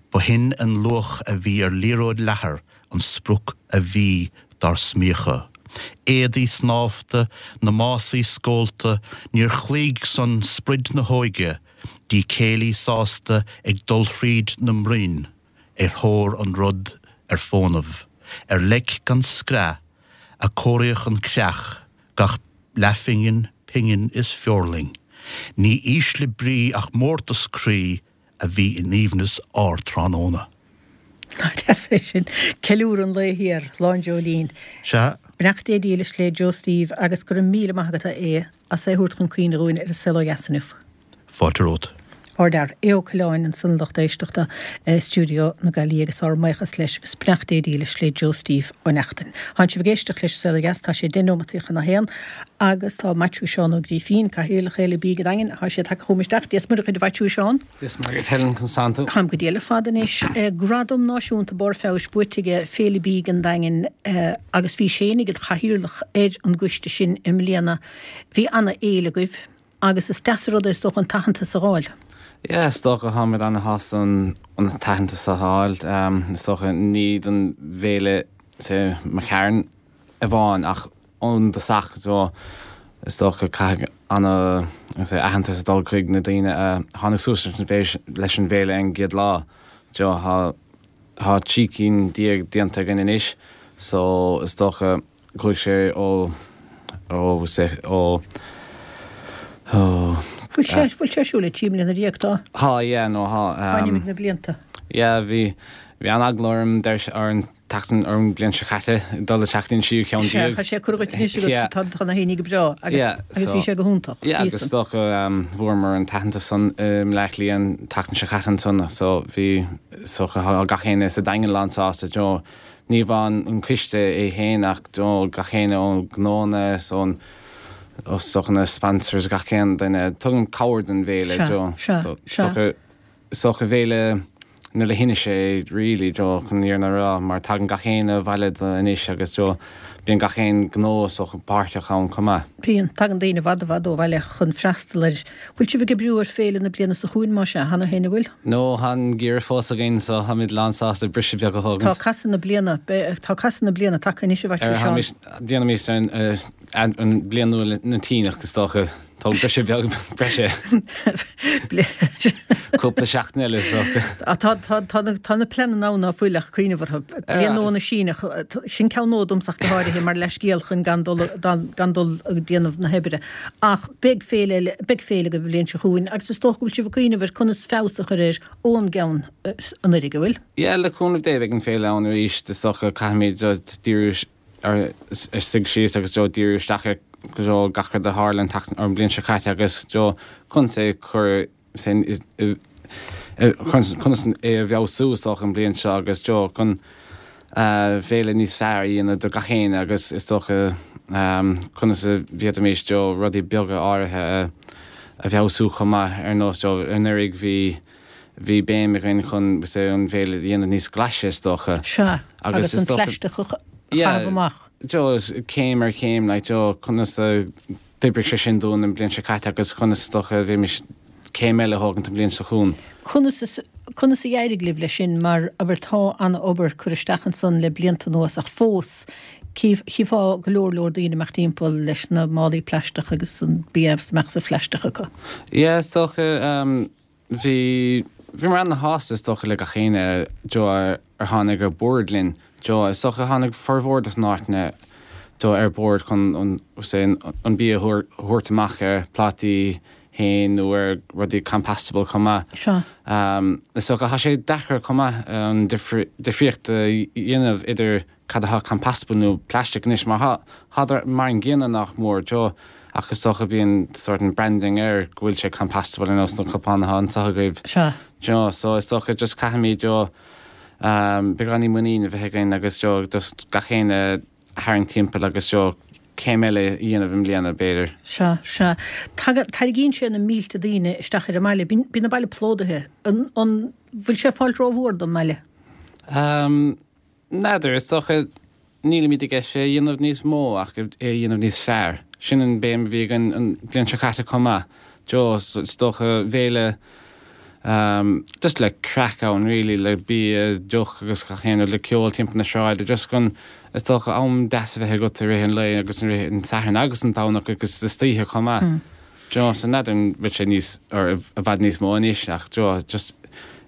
Ba shin an luach a bhí ar liathróid leathair an sprioc a bhí dár smíochadh. Éadaí snámhta, na másaí scólta, níor chloígh san sprid na hóige, dícéillí sásta ag dul thríd na mbroinn ar thóir an rud ar fónamh, ar leic gan screath a cóiríodh an creach, gach leathphingin, pingin is feoirling. Ní ísle brí ach mórtas croí a bhí in aoibhneas ár dtráthnóna. Nach deas é sin. Ceiliúradh an lae thiar, Lá an Dreoilín. Sea. Beannacht Dé dílis le Joe Steve agus go raibh míle maith agat a Aodh as é a thabhairt chun cuimhne dhúinn ar an Saol Ó Dheas inniu. Fáilte romhat. Ardfhear, Aodh Ó Coileáin ansan lucht éisteachta i stiúideo na Gaillimhe agus ár mbuíochas leis agus beannacht Dé dílis le Joe Steve Ó Neachtain. Tánn sibh ag éisteacht leis an Saol Ó Dheas, tá sé deich nóimeataí chun a haon agus tá Maitiú Seán Ó Grífín, Cathaoirleach Fhéile Bídh an Daingin, tá sé tagtha chugam isteach. Dia is Muire dhuit a Mhaitiú Seán. Dia is Muire dhuit Helen, conas tánn tú? Táim go diail ar fad anois. Gradam Náisiúnta Barr Feabhais buaite aige Féile Bídh an Daingin agus bhís fhéinig id chathaoirleach ar an gcoiste sin i mbliana. Bhí ana fhéile agaibh agus is deas an rud é is dócha an t-aitheantas a dh'fháil. Yeah, is dócha táimid ana-shásta an t-aitheantas a fháil. Is dócha ní don bhféile say mo chearn amháin ach ón dtosach so is dócha caithfidh ana say aitheantas a dul chuig na daoine a tháinig suas leis an bhféile an gcéad lá. So tá tá 13 cinn déanta againn anois so is dócha Chuaigh sé ó, ó, say, ó, ó. Bhfuil sé, bhfuil sé ar siúl le 13 mbliana, tá? Tá, yeah, no, tá. Coinním na blianta. Yeah, bhí, bhí an-eagla orm, deir, ar an tseachtain, ar an bhliain seo caite, dul isteach go dtí an tríú ceann Sea, tá sé curtha dhuit anois agat, tá, tá na haoinní go breá agus, Yeah, agus so, bhí sé go hiontach, yeah, agus is dócha, bhuamar an t-aitheantas san i mBleá Cliath an tseachtain seo caite ansan, so bhí, is dócha, tá gach éinne sa Daingean lán-sásta, you know, Ní amháin an coiste é féin ach gach éinne ó gnóanna is ón is dócha na sponsors gach aon duine a tugann cabhair don bhféile Is dócha féile na leithinise é really chun an fhírinne a rá mar tagann gach éinne abhaile do anois agus bíonn gach aon gnó is dócha páirteach ann chomh maith. Bíonn. Tagann daoine i bhfad i bhfad ó bhaile chun freastal air. Bhfuil sibh ag oibriú ar féile na bliana seo chugainn, más ea, cheana féin, an bhfuil? No, tá an geimhreadh fós againn so táimid lán sásta briseadh beag a thógaint. Tá casadh na bliana, tá casadh na bliana tagtha anois a Mhaitiú Seán. Déanaimis an bliain nua na Síneach is dócha. Tóg briseadh beag breise. Cúpla seachtain eile is dócha. Tá, tá, tá na, tá na pleananna ann ná fuil ach cuimhneamh orthu. Bliain nua na Síneach, sin ceann nua domsa ach go háirithe mar leithscéal chun gan dul, gan dul ag déanamh na hoibre. Ach beidh féile eile, beidh féile agaibh an bhliain seo chugainn agus is dócha go bhfuil sibh ag cuimhneamh ar conas feabhas a chur air ón gceann anuraidh, an bhfuil? Yeah, le cúnamh Dé beidh an féile ann arís, is dócha caithfimid díriú ar suigh síos agus díriú isteach ar gach rud a tharla an bhliain seo caite agus conas é a chur conas é a bhfeabhsú is dócha an bhliain seo agus chun féile níos fearr a dhéanamh do gach éinne agus is dócha conas a bhféadfaimis rudaí beaga áirithe a bhfeabhsú chomh maith ar nós anuraidh bhí bhí béim againn chun an bhféile a dhéanamh níos glaise is dócha. Sea, agus an plaisteach a chaitheamh amach. Yeah, céim ar chéim like conas a d'oibrigh sé sin dúinn an bhliain seo caite agus conas is dócha a bhféadfaimis céim eile a thógaint an bhliain seo chugainn. Conas is, conas a d'éirigh libh leis sin mar, abair, tá an-obair curtha isteach ansan le blianta anuas ach fós chífeá go leor leor daoine amach timpeall leis na málaí plaisteach agus an bia amach sa phlaisteach acu. Yeah, is dócha, Bhí, bhíomar ana-shásta is dócha le gach éinne Joe ar tháinig ar bord linn. Joe, is dócha tháinig formhór dos na háiteanna Joe ar bord chun an, say, an bia a thabhairt amach ar plátaí féin nó ar rudaí compostable chomh maith. Sea. Is dócha tá sé deacair chomh maith an difríocht a dhéanamh idir cad atá compostable nó plastic anois mar tá, tádar mar an gcéanna nach mór, Joe, ach is dócha bíonn sort an branding air go bhfuil sé compostable ar nós na cupáin atá anseo agaibh. Sea. Joe, so is dócha just caithfimid, Joe, beagáinín muinín a bheith againn agus, Joe, just gach éinne a tharraingt timpeall agus, Joe, céim eile a dhéanamh i mbliana b'fhéidir. Sea, sea. Tagann, tarraingíonn sé na mílte daoine isteach ar an mbaile. Bíonn, bíonn an baile plódaithe. An, an bhfuil sé ag fáilt rómhór don mbaile? Um, N'fheadar, is dócha, nílimid i gceist é a dhéanamh níos mó ach é a dhéanamh níos fearr. Sin an béim a bhí againn an bhliain seo caite chomh maith. Joe, is dócha, féile just le craic ann really, le bia, deoch agus gach aon rud, le ceol timpeall na sráide, just chun, is dócha, am deas a bheith agat i rith an lae agus i rith an Sathairn agus an Domhnach agus istoíche chomh maith. Joe, so n'fheadar an bhfuil sé níos, or i bhfad níos mó anois ach Joe, just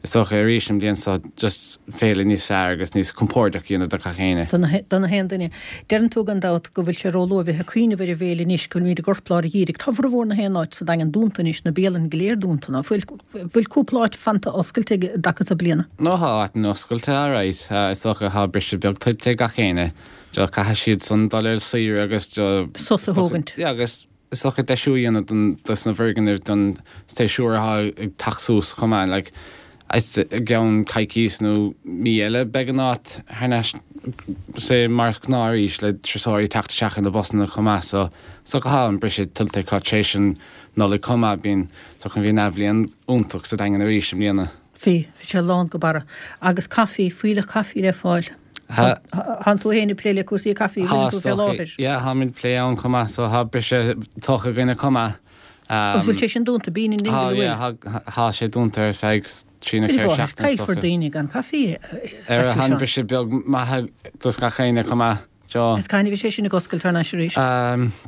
is dócha arís an bhliain seo just féile níos fearr agus níos compordach a dhéanamh do gach éinne. Do na haon duine. Deireann tú gan dabht go bhfuil sé róluath a bheith ag cuimhneamh ar an bhféile anois, go bhfuilimid i gcorplár an gheimhridh. Tá formhór na haon áit sa Daingean dúnta anois, na bialanna go léir dúnta, ná fuil? Bhfuil cúpla áit fanta oscailte i dtaca seo bliana? No tá áiteanna oscailte alright. Is dócha tá briseadh beag tuillte ag gach éinne. Joe, caithfidh siad san dul ar saoire agus Joe, Sos a thógaint. Yeah agus Is dócha deisiú a dhéanamh don dos na bhfoirgnimh don séasúr atá ag teacht suas chomh maith. Like is i gceann coicís nó mí eile beidh an áit thar n-ais say mar is gnáth arís le turasóirí ag teacht isteach ar na busanna chomh maith so is dócha tá an briseadh tuillte acu tar éis an Nollaig chomh maith bíonn is dócha bhí an athbhliain iontach sa Daingean arís i mbliana. Bhí, bhí sé lán go barra. Agus caife, fuílleach caife le fáil. Tá. Tánn tú féin ag plé le cúrsaí caife, an bhfuileann tú fé láthair? Yeah, táimid ag plé ann chomh maith, so tá briseadh tugtha againne chomh maith. An bhfuil sé sin dúnta? Bean in Dingle, an bhfuil? Tá, yeah, tá sé dúnta ar feadh trí nó ceithre seachtaine is dócha. Caillfear daoine gan caife, a Ar a briseadh beag maith dos gach éinne chomh maith, Joe. Is cathain a bheidh sé sin ag oscailt thar n-ais arís?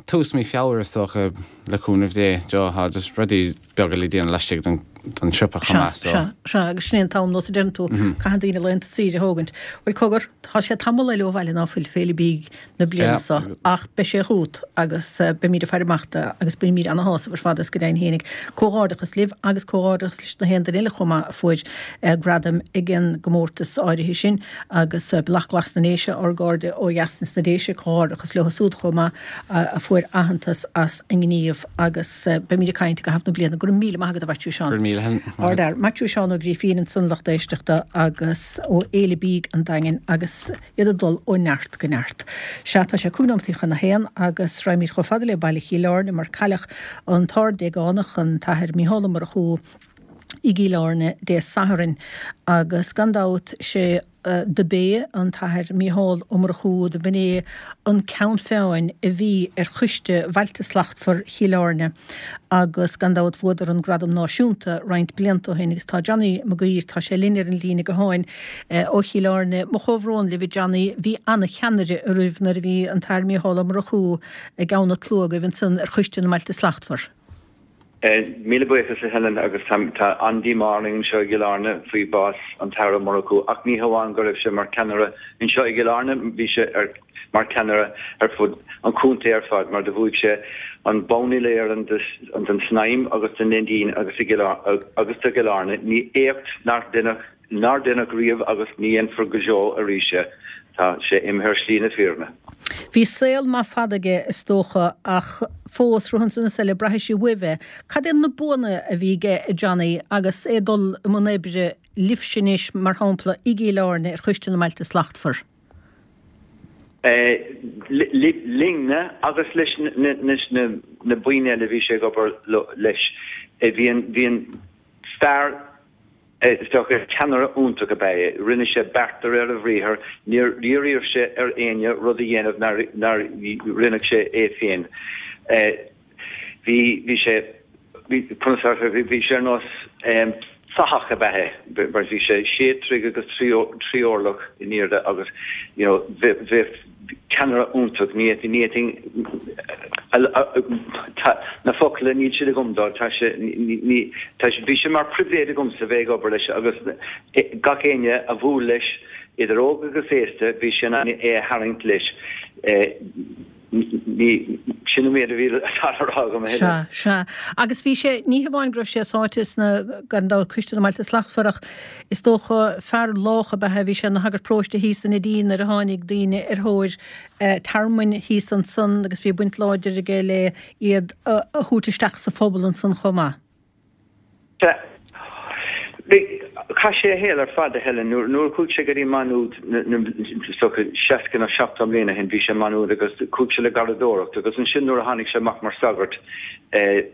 Tús mí Feabhra is dócha, le cúnamh Dé, Joe. Tá just rudaí beaga le déanamh laistigh den siopa chomh maith, so. Sea, sea, agus sin é an t-am, nós a deireann tú, caitheann daoine laethanta saoire a thógaint. Bhuel, cogar, tá sé tamall eile ó bhaile ná fuil Féile Bídh na bliana seo ach beidh sé chugat agus beimid ag faire amach dó agus bainimid ana-shásamh ar fad as go deimhin fhéinig. Comhghairdeachas libh agus comhghairdeachas leis na haon duine eile chomh maith a fuair gradaim ag an gcomórtas áirithe sin agus Bealach Glas na nDéise, ár gcairde ó dheas ins na Déise, comhghairdeachas leo súd chomh maith a fuair aitheantas as a ngníomh agus beimid ag caint i gcaitheamh na bliana. Go raibh míle maith agat a Mhaitiú Seán. Go raibh míle maith agat. Ardfhear. Maitiú Seán Ó Grífín ansan lucht éisteachta agus ó Fhéile Bídh an Daingin agus. iad ag dul ó neart go neart. Sea, tá sé cúig nóimeataí chun a haon agus raghaimid chomh fada le baile Chill Airne mar cailleadh an tArd-Déagánach, an tAthair Mícheál Ó Murchú i gCill Airne Dé Sathairn agus gan dabht sé do b'é an tAthair Mícheál Ó Murchú do b'in é an ceann feadhain a bhí ar choiste Bhailte Slachtmhar Chill Airne agus gan dabht bhuadar an gradam náisiúnta roinnt blianta ó shin agus tá Johnny Mac Guidhir, tá sé linn ar an líne gutháin ó Chill Airne. Mo chomhbhrón libh a Johnny, bhí ana-cheannaire oraibh nuair a bhí an tAthair Mícheál Ó Murchú i gceann an tslua agaibh ansan ar Choiste na mBailte Slachtmhar. Míle buíochas a Helen agus tá an-díomá orainn anseo i gCill Airne faoi bhás an tAthar Ó Murchú ach ní hamháin go raibh sé mar cheannaire anseo i gCill Airne, bhí sé ar mar cheannaire ar fud an chontae ar fad mar do bhuaigh sé an bonn uile-Éireann den Snaidhm agus den Neidín agus agus do Chill Airne. Ní éacht nár deineadh nár deineadh riamh agus ní dhéanfar go deo arís é. Tá sé imithe ar shlí na fírinne. Bhí saol maith fada aige is dócha ach fós, rud ansan is eile, braithfidh sibh uaibh é. Cad iad na buanna a bhí aige a Johnny agus é ag dul i mbun oibre libhse anois mar shampla i gCill Airne ar Choiste na mBailte Slachtmhar? Linne agus leis na boinn eile a bhí sé ag obair leis. Bhí an fear Is dócha, ceannaire iontach ab ea é. Rinne sé beart de réir a bhriathair, níor iarr sé ar éinne rud a dhéanamh nár rinne sé é féin. Bhí, bhí sé, bhí, conas a bhí sé ar nós fathach ab ea é, mar bhí sé sé troigh agus trí orlach in airde agus, you know, bheadh, ceannaire iontach, ní fhéadfainn, na focla, níl siad agam dó, tá sé, ní, tá sé, bhí sé mar pribhléid agamsa bheith ag obair leis agus gach éinne a bhuail leis, idir óg agus aosta, bhí sé in ann é a tharraingt leis. Ní, sin an méid a bhí le rá agam a thuilleadh. Sea, sea. Agus bhí sé, ní hamháin go raibh sé sáite sna, gan dabht, Coiste na mBailte Slachtmhar ach is dócha, fear lách ab ea é. Bhí sé ina shagart paróiste thíos in Neidín nuair a tháinig daoine ar thóir tearmainn thíos ansan agus bhí baint láidir aige le iad a thabhairt isteach sa phobal ansan chomh maith. Sea. Bhí, chaith sé a shaol ar fad, a Helen. Nuair, nuair a chuaigh sé go dtí Maigh Nuad, is dócha 60 nó 70 mbliana ó shin, bhí sé i Maigh Nuad agus chuaigh sé le garraíodóireacht agus ansin nuair a tháinig sé amach mar sagart, eh,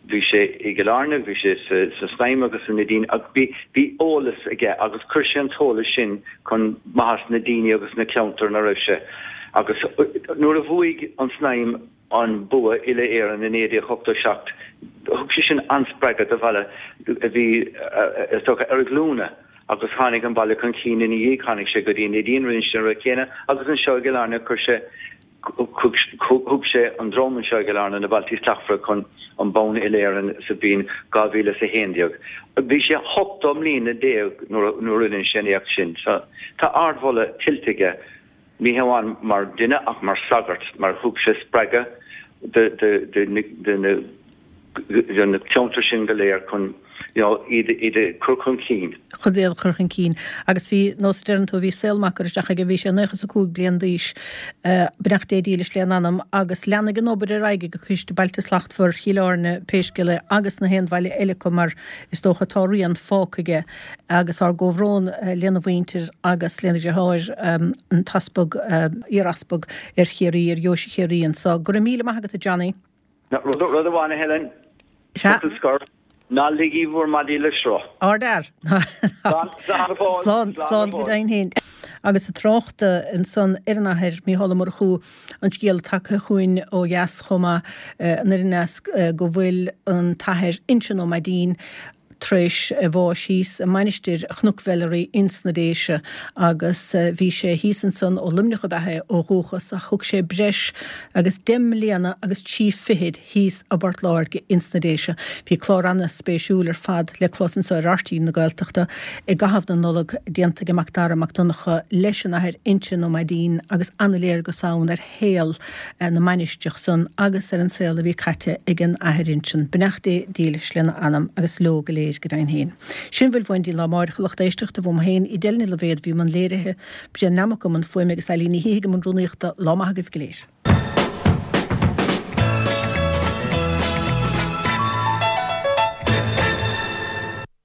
bhí sé i gCill Airne, bhí sé sa, sa Snaidhm agus sa Neidín ach bhí, bhí eolas aige agus chuir sé an t-eolas sin chun maitheas na daoine agus na ceantar ina raibh sé. Agus nuair a bhuaigh an Snaidhm, an bua uile-Éireann i 1987, thug sé sin an-spreagadh do bhaile a bhí, is dócha, ar a ghlúine agus tháinig an baile chun cinn ina dhiaidh, tháinig sé go dtí an Neidín, rinne sé an rud céanna agus anseo i gCill Airne chuir sé, thug sé an dream anseo i gCill Airne, na Bailtí Slachtmhara chun an bonn uile-Éireann sa bhliain 2011. Bhí sé 18 mbliana nuair a rinne sé an éacht sin. So tá ardmholadh tuillte aige. Ní hamháin mar dhuine ach mar shagart, mar thug sé spreagadh do na ceantair sin go léir chun you know iad a chur chun cinn. chun iad a chur chun cinn. Agus bhí, nós a deireann tú, bhí saol maith curtha isteach aige, bhí sé 95 bliain d'aois, beannacht Dé dílis lena anam, agus leanfaidh an obair ar aghaidh ag Coiste Bailte Slachtmhar Chill Airne, pé scéal é, agus na haon bhaile eile acu mar is dócha tá a rian fágtha aige. Agus ár gcomhbhrón lena mhuintir agus lena dheartháir, an t-easpag, iar-easpag ar Chiarraí, ar Dheoise Chiarraí anso. Go raibh míle maith agat, a Johnny. Rud amháin, a Helen. Sea. Focal scoir. Ná ligí bhur maidí le sruth. Ardfhear. Slán go fóill. Slán, slán go deimhin féin. Agus ag trácht ansan ar an Athair Mícheál Ó Murchú, an scéal tagtha chugainn ó dheas chomh maith, anoir aneas, go bhfuil an tAthair Uinseann Ó Maidín tar éis a bháis thíos i Mainistir Chnoc Mheilearaí ins na Déise agus bhí sé thíos ansan, ó Luimneach ab ea é ó dhúchas ach thug sé breis agus deich mbliana agus trí fichid thíos i bPort Láirge ins na Déise. Bhí clár ana-spéisiúil ar fad le clos anso ar RTÉ na Gaeltachta i gcaitheamh na Nollag, déanta ag Macdara Mac Donncha leis an Athair Uinseann Ó Maidín agus ana-léargas ann ar shaol na mainistreach san agus ar an saol a bhí caite ag an Athair Uinseann. Beannacht Dé dílis lena anam agus leo go léir go deimhin féin. Sin a bhfuil uainn go dtí an lá amáireach a lucht éisteachta, uaim féin, Edel Ní Loibhéad a bhí i mbun léirithe, Brian Nammock i mbun fuaime agus Eileen Ní Shíthigh i mbun rúnaíochta. Lá maith agaibh go léir.